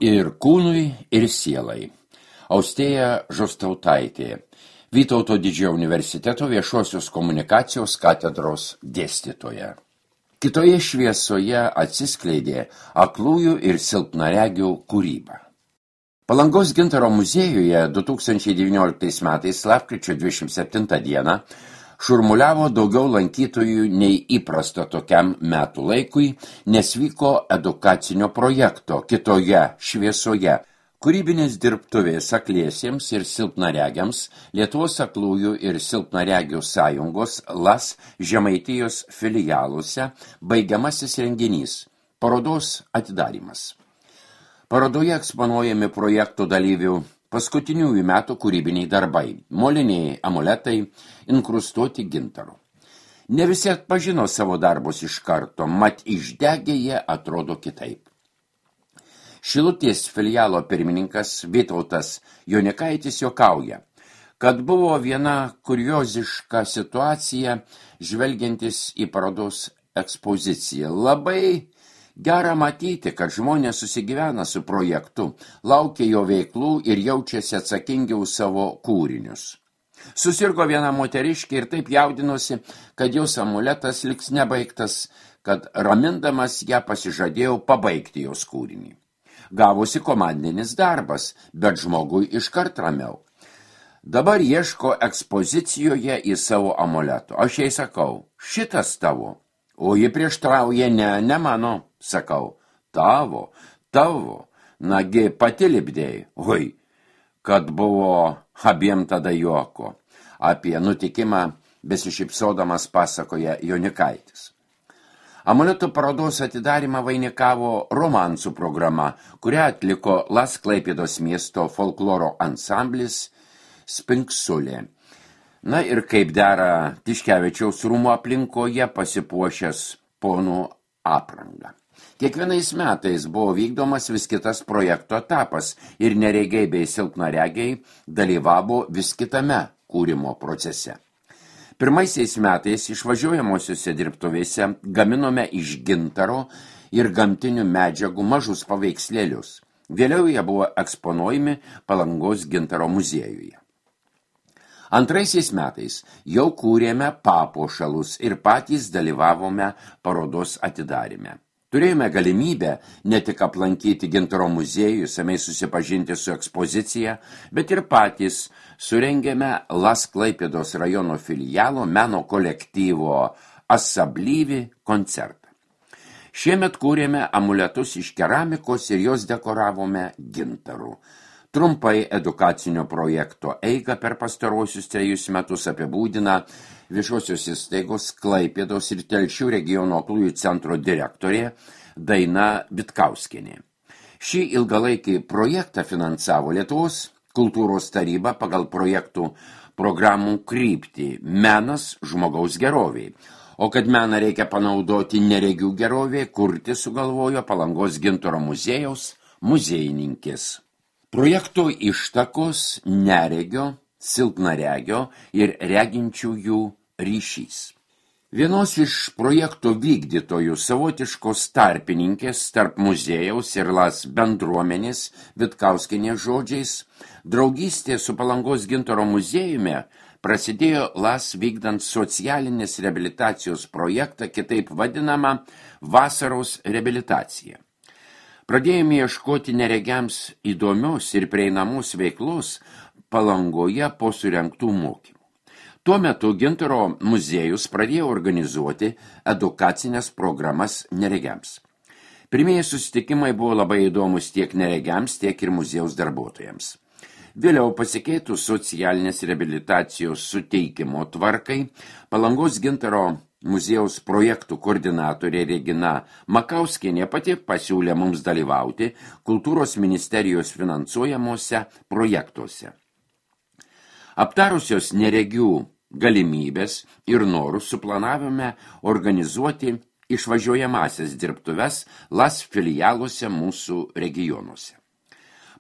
Ir kūnui, ir sielai. Austėja Žostautaitė, Vytauto Didžiojo universiteto viešosios komunikacijos katedros dėstytoja. Kitoje šviesoje atsiskleidė aklųjų ir silpnaregių kūryba. Palangos Gintaro muziejuje 2019 metais lapkričio 27 dieną šurmuliavo daugiau lankytojų nei įprasta tokiam metų laikui, nes vyko edukacinio projekto Kitoje šviesoje kūrybinės dirbtuvės akliesiems ir silpnaregiams Lietuvos aklųjų ir silpnaregių sąjungos LAS Žemaitijos filialuose baigiamasis renginys – parodos atidarymas. Parodoje eksponuojami projektų dalyvių paskutiniųjų metų kūrybiniai darbai – moliniai amuletai, inkrustuoti gintaru. Ne visi atpažino savo darbus iš karto, mat išdegę jie atrodo kitaip. Šilutės filialo pirmininkas Vytautas Jonikaitis juokauja, kad buvo viena kurioziška situacija žvelgiantis į parodos ekspoziciją. Labai gera matyti, kad žmonės susigyvena su projektu, laukia jo veiklų ir jaučiasi atsakingi už savo kūrinius. Susirgo viena moteriškė ir taip jaudinosi, kad jos amuletas liks nebaigtas, kad ramindamas ją pasižadėjau pabaigti jos kūrinį. Gavosi komandinis darbas, bet žmogui iškart ramiau. Dabar ieško ekspozicijoje į savo amuleto. Aš jai sakau, šitas tavo. O ji prieštrauja, ne mano, sakau, tavo. Nagi pati lipdėjai. Oi, kad buvo abiem tada juoko. Apie nutikimą besišypsodamas pasakoja Jonikaitis. Amuleto parodos atidarymą vainikavo romansų programa, kurią atliko LAS Klaipėdos miesto folkloro ansamblis Spinksulė. Na ir kaip dera Tiškevičiaus rūmų aplinkoje pasipuošęs ponų aprangą. Kiekvienais metais buvo vykdomas vis kitas projekto etapas ir neregiai bei silpnaregiai dalyvavo vis kitame kūrimo procese. Pirmaisiais metais išvažiuojamosiuose dirbtuvėse gaminome iš gintaro ir gamtinių medžiagų mažus paveikslėlius. Vėliau jie buvo eksponuojami Palangos Gintaro muziejuje. Antraisiais metais jau kūrėme papuošalus ir patys dalyvavome parodos atidaryme. Turėjome galimybę ne tik aplankyti Gintaro muziejų, išsamiai susipažinti su ekspozicija, bet ir patys surengėme LAS Klaipėdos rajono filialo meno kolektyvo Asablyvi koncertą. Šiemet kūrėme amuletus iš keramikos ir jos dekoravome gintaru. Trumpai edukacinio projekto eigą per pastaruosius 3 metus apibūdina viešosios įstaigos Klaipėdos ir Telšių regiono aklųjų centro direktorė Daina Vitkauskienė. Šį ilgalaikį projektą finansavo Lietuvos kultūros taryba pagal projektų programų kryptį Menas žmogaus geroviai. O kad meną reikia panaudoti neregių gerovė, kurti sugalvojo Palangos Gintaro muziejaus muziejininkės. Projekto ištakos neregio, silpnaregio ir reginčiųjų ryšys. Vienos iš projekto vykdytojų savotiškos tarpininkės tarp muziejaus ir LAS bendruomenės Vitkauskienės žodžiais, draugystė su Palangos Gintaro muziejumi prasidėjo LAS vykdant socialinės reabilitacijos projektą, kitaip vadinamą vasaros reabilitaciją. Pradėjome ieškoti neregiams įdomios ir prieinamos veiklos Palangoje po surengtų mokymų. Tuo metu Gintaro muziejus pradėjo organizuoti edukacinės programas neregiams. Pirmieji susitikimai buvo labai įdomus tiek neregiams, tiek ir muziejaus darbuotojams. Vėliau pasikeitus socialinės reabilitacijos suteikimo tvarkai, Palangos Gintaro muziejaus projektų koordinatorė Regina Makauskienė pati pasiūlė mums dalyvauti Kultūros ministerijos finansuojamuose projektuose. Aptarusios neregių galimybės ir norus suplanavome organizuoti išvažiuojamasias dirbtuves LAS filialuose mūsų regionuose.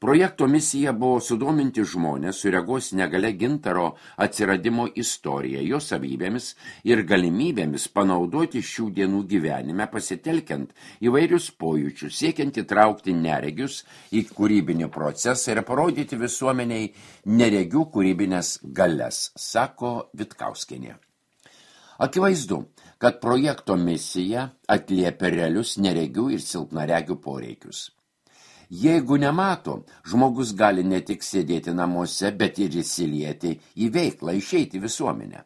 Projekto misija buvo sudominti žmonės su regos negale gintaro atsiradimo istorija, jo savybėmis ir galimybėmis panaudoti šių dienų gyvenime, pasitelkiant įvairius pojūčius, siekiant įtraukti neregius į kūrybinį procesą ir parodyti visuomeniai neregių kūrybinės galias, sako Vitkauskienė. Akivaizdu, kad projekto misija atliepia realius neregių ir silpnaregių poreikius. Jeigu nemato, žmogus gali ne tik sėdėti namuose, bet ir įsilieti į veiklą, išeiti visuomenę.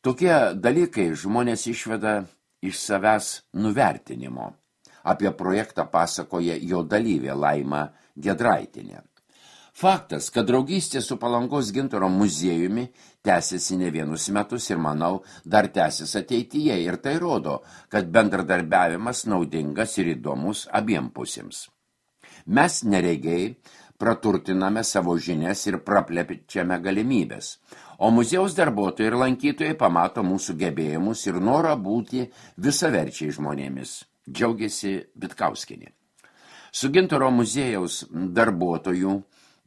Tokie dalykai žmonės išveda iš savęs nuvertinimo. Apie projektą pasakoja jo dalyvė Laima Giedraitienė. Faktas, kad draugystė su Palangos gintaro muziejumi tęsiasi ne vienus metus ir, manau, dar tęsis ateityje. Ir tai rodo, kad bendradarbiavimas naudingas ir įdomus abiem pusėms. Mes neregiai praturtiname savo žinias ir praplečiame galimybės, o muziejaus darbuotojai ir lankytojai pamato mūsų gebėjimus ir norą būti visaverčiai žmonėmis, džiaugiasi Vitkauskienė. Su gintaro muziejaus darbuotojų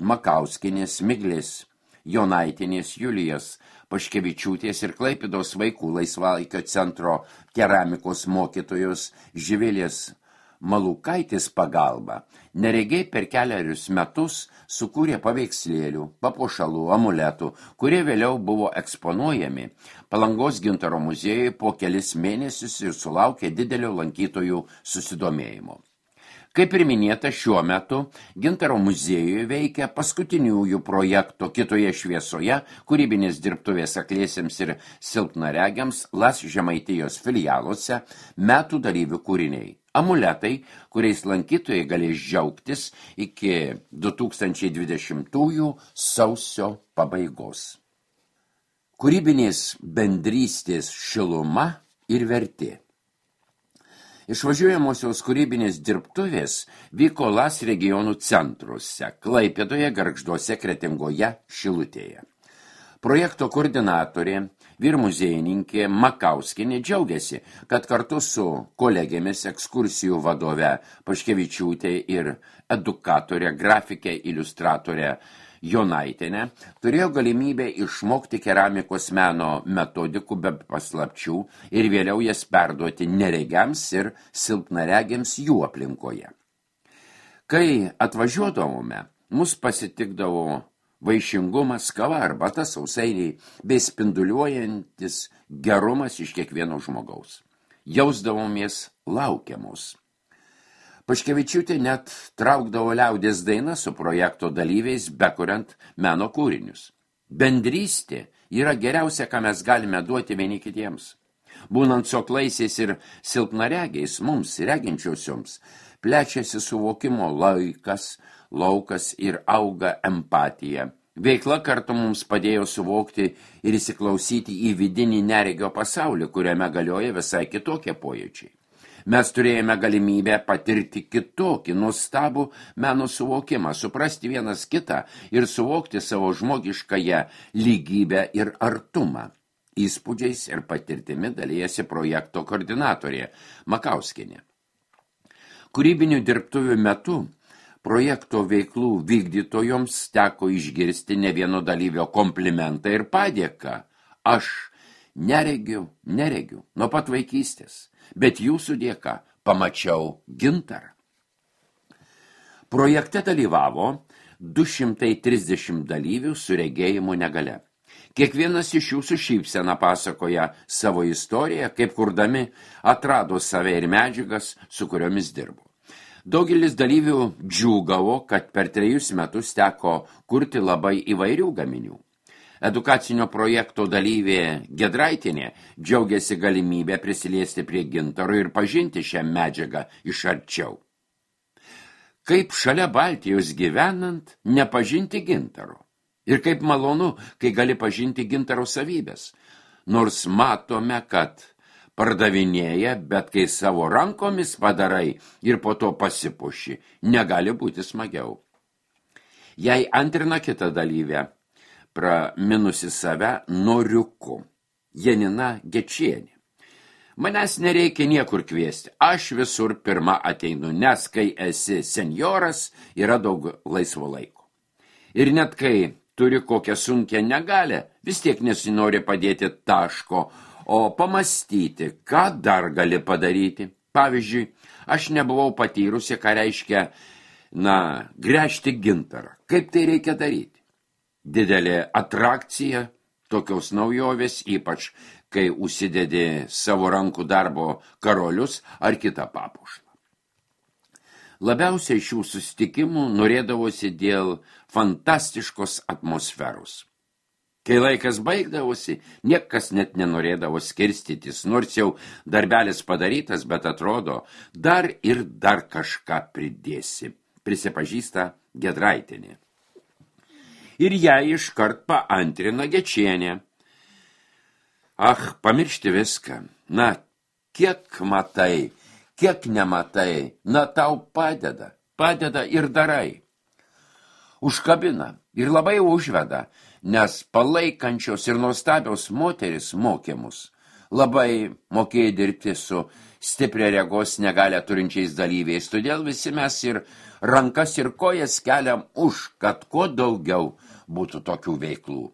Makauskienės, Miglės, Jonaitienės, Julijos Paškevičiūtės ir Klaipėdos vaikų laisvalaikio centro keramikos mokytojos Živilės Malukaitės pagalba neregiai per kelerius metus sukūrė paveikslėlių, papuošalų, amuletų, kurie vėliau buvo eksponuojami Palangos gintaro muziejuje po kelis mėnesius ir sulaukė didelio lankytojų susidomėjimo. Kaip ir minėta, šiuo metu gintaro muziejuje veikia paskutiniųjų projekto Kitoje šviesoje kūrybinės dirbtuvės akliesiems ir silpnaregiams LAS Žemaitijos filialuose metų dalyvių kūriniai. Amuletai, kuriais lankytojai galės džiaugtis iki 2020 sausio pabaigos. Kūrybinės bendrystės šiluma ir vertė. Išvažiuojamosios kūrybinės dirbtuvės vyko LAS regionų centruose – Klaipėdoje, Gargžduose, Kretingoje, Šilutėje. Projekto koordinatorė, vyrmuziejininkė Makauskienė džiaugiasi, kad kartu su kolegėmis ekskursijų vadove Paškevičiūtė ir edukatorė, grafikė, iliustratorė Jonaitienė turėjo galimybę išmokti keramikos meno metodikų be paslapčių ir vėliau jas perduoti neregiams ir silpnaregiams jų aplinkoje. Kai atvažiuodavome, mus pasitikdavo vaišingumas, kava, arbata, sausainiai bei spinduliuojantis gerumas iš kiekvieno žmogaus. Jausdavomės laukiamos. Paškevičiūtė net traukdavo liaudės dainą su projekto dalyviais, bekuriant meno kūrinius. Bendrystė yra geriausia, ką mes galime duoti vieni kitiems. Būnant soklaisiais ir silpnaregiais, mums, reginčiosioms, plečiasi suvokimo laukas ir auga empatija. Veikla kartu mums padėjo suvokti ir įsiklausyti į vidinį neregio pasaulį, kuriame galioja visai kitokie pojūčiai. Mes turėjome galimybę patirti kitokį, nuostabų meno suvokimą, suprasti vienas kitą ir suvokti savo žmogiškąją lygybę ir artumą. Įspūdžiais ir patirtimi dalijasi projekto koordinatorė Makauskienė. Kūrybinių dirbtuvių metu projekto veiklų vykdytojoms teko išgirsti ne vieno dalyvio komplimentą ir padėką. Aš neregiu nuo pat vaikystės, bet jūsų dėka pamačiau gintarą. Projekte dalyvavo 230 dalyvių su regėjimo negale. Kiekvienas iš jų su šypsena pasakoja savo istoriją, kaip kurdami atrado save ir medžiagas, su kuriomis dirbo. Daugelis dalyvių džiūgavo, kad per 3 metus teko kurti labai įvairių gaminių. Edukacinio projekto dalyvė Giedraitienė džiaugiasi galimybę prisiliesti prie gintaro ir pažinti šią medžiagą iš arčiau. Kaip šalia Baltijos gyvenant nepažinti gintaro? Ir kaip malonu, kai gali pažinti gintaro savybės. Nors matome, kad pardavinėja, bet kai savo rankomis padarai ir po to pasipuši, negali būti smagiau. Jei antrina kita dalyvė, praminusi save noriuku, Janina Gečienė. Manęs nereikia niekur kviesti, aš visur pirma ateinu, nes kai esi senjoras, yra daug laisvo laiko. Ir net kai turi kokią sunkią negalę, vis tiek nesinori padėti taško, o pamastyti, ką dar gali padaryti. Pavyzdžiui, aš nebuvau patyrusi, ką reiškia, gręžti gintarą. Kaip tai reikia daryti? Didelė atrakcija, tokios naujovės, ypač kai užsidedi savo rankų darbo karolius ar kitą papuošalą. Labiausiai šių susitikimų norėdavosi dėl fantastiškos atmosferos. Kai laikas baigdavosi, niekas net nenorėdavo skirstytis, nors jau darbelis padarytas, bet atrodo, dar ir dar kažką pridėsi, prisipažįsta Gedraitienė. Ir ją iškart paantrina Gečienė. Pamiršti viską. Kiek matai, kiek nematai, tau padeda ir darai. Užkabina ir labai užveda, nes palaikančios ir nuostabios moteris mokė mus. Labai mokėjo dirbti su stipria regos negalią turinčiais dalyviais, todėl visi mes ir rankas ir kojas keliam kad kuo daugiau būtų tokių veiklų.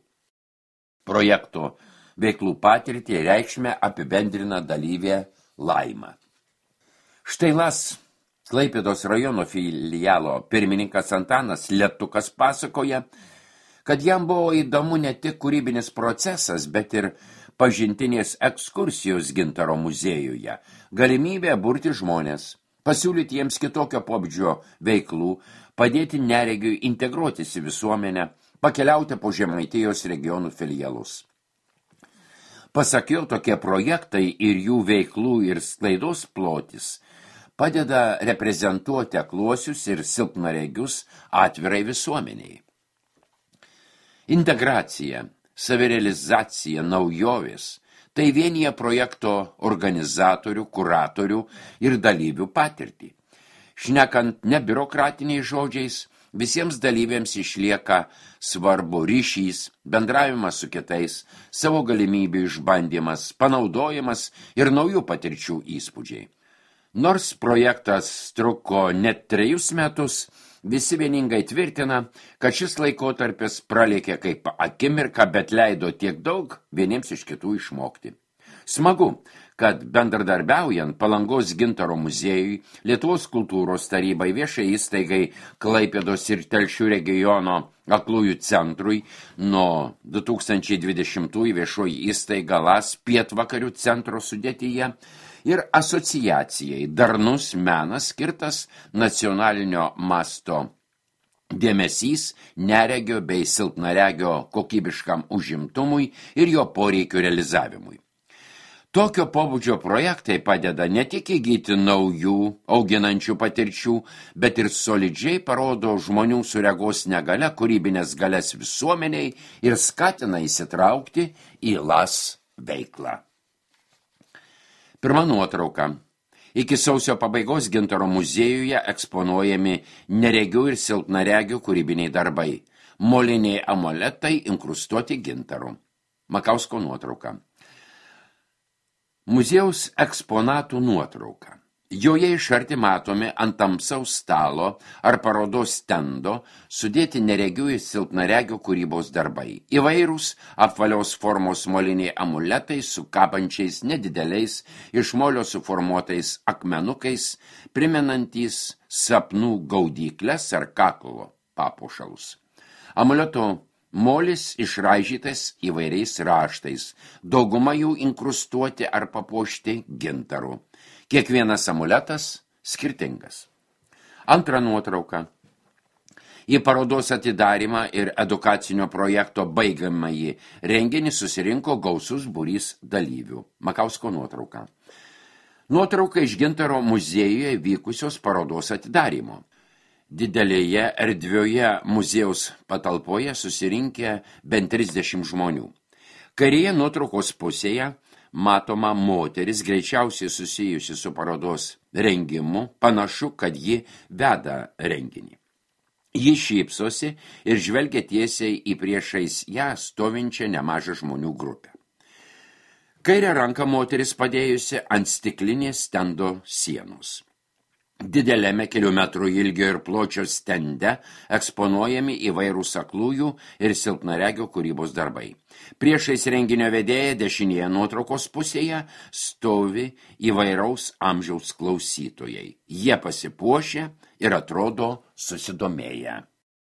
Projekto veiklų patirtį reikšmę apibendrina dalyvė Laima. Štai LAS Klaipėdos rajono filialo pirmininkas Antanas Letukas pasakoja, kad jam buvo įdomu ne tik kūrybinis procesas, bet ir pažintinės ekskursijos Gintaro muziejuje, galimybė burti žmonės, pasiūlyti jiems kitokio pobūdžio veiklų, padėti neregiui integruotis į visuomenę, pakeliauti po Žemaitijos regionų filialus. Pasak jo, tokie projektai ir jų veiklų ir sklaidos plotis padeda reprezentuoti akluosius ir silpnaregius atvirai visuomeniai. Integracija, savirealizacija, naujovės – tai vienyje projekto organizatorių, kuratorių ir dalyvių patirtį. Šnekant ne biurokratiniais žodžiais, visiems dalyviams išlieka svarbu ryšys, bendravimas su kitais, savo galimybių išbandymas, panaudojimas ir naujų patirčių įspūdžiai. Nors projektas truko net 3 metus, visi vieningai tvirtina, kad šis laikotarpis pralėkė kaip akimirka, bet leido tiek daug vieniems iš kitų išmokti. Smagu, kad bendradarbiaujant Palangos Gintaro muziejui, Lietuvos kultūros tarybai, viešai įstaigai Klaipėdos ir Telšių regiono aklųjų centrui, nuo 2020 viešoji įstaiga LAS pietvakarių centro sudėtyje ir asociacijai Darnus menas skirtas nacionalinio masto dėmesys neregio bei silpnaregio kokybiškam užimtumui ir jo poreikių realizavimui. Tokio pobūdžio projektai padeda ne tik įgyti naujų, auginančių patirčių, bet ir solidžiai parodo žmonių su regos negalia kūrybinės galias visuomeniai ir skatina įsitraukti į LAS veiklą. Pirma nuotrauka. Iki sausio pabaigos Gintaro muziejuje eksponuojami neregių ir silpnaregių kūrybiniai darbai. Moliniai amuletai inkrustuoti gintaru. Makausko nuotrauka. Muziejaus eksponatų nuotrauka. Joje iš arti matomi ant tamsaus stalo ar parodos stendo sudėti neregių ir silpnaregių kūrybos darbai. Įvairūs apvalios formos moliniai amuletai su kabančiais nedideliais iš molio suformuotais akmenukais, primenantys sapnų gaudyklės ar kaklo papuošalus. Amuleto molis išraižytas įvairiais raštais, dauguma jų inkrustuoti ar papuošti gintaru. Kiekvienas amuletas skirtingas. Antra nuotrauka. Į parodos atidarymą ir edukacinio projekto baigiamąjį renginį susirinko gausus būrys dalyvių. Makausko nuotrauka. Nuotrauka iš Gintaro muziejuje vykusios parodos atidarymo. Didelėje erdvioje muziejaus patalpoje susirinkę bent 30 žmonių. Kairėje nuotraukos pusėje matoma moteris, greičiausiai susijusi su parodos rengimu, panašu, kad ji veda renginį. Ji šypsosi ir žvelgia tiesiai į priešais ją stovinčią nemažą žmonių grupę. Kairę ranką moteris padėjusi ant stiklinės stendo sienos. Dideliame kelių metrų ilgio ir pločio stende eksponuojami įvairūs aklųjų ir silpnaregio kūrybos darbai. Priešais renginio vedėją dešinėje nuotraukos pusėje stovi įvairaus amžiaus klausytojai. Jie pasipuošę ir atrodo susidomėję.